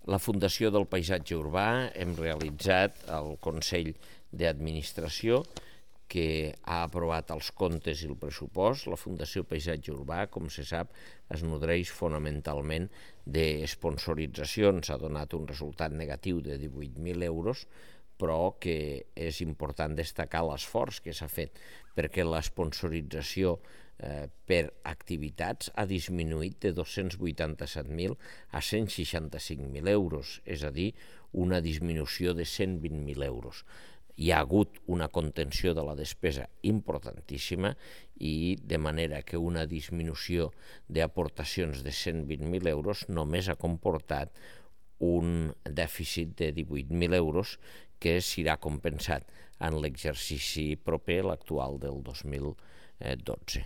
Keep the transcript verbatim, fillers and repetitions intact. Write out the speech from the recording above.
La Fundació del Paisatge Urbà hem realitzat el Consell d'Administració que ha aprovat els comptes i el pressupost. La Fundació Paisatge Urbà, com se sap, es nodreix fonamentalment de sponsoritzacions. Ha donat un resultat negatiu de divuit mil euros, però que és important destacar l'esforç que s'ha fet perquè la sponsorització eh, per activitats ha disminuït de dos-cents vuitanta-set mil a cent seixanta-cinc mil euros, és a dir, una disminució de cent vint mil euros. Hi ha hagut una contenció de la despesa importantíssima i de manera que una disminució d'aportacions de cent vint mil euros només ha comportat un dèficit de divuit mil euros que serà compensat en l'exercici proper, l'actual del dos mil dotze.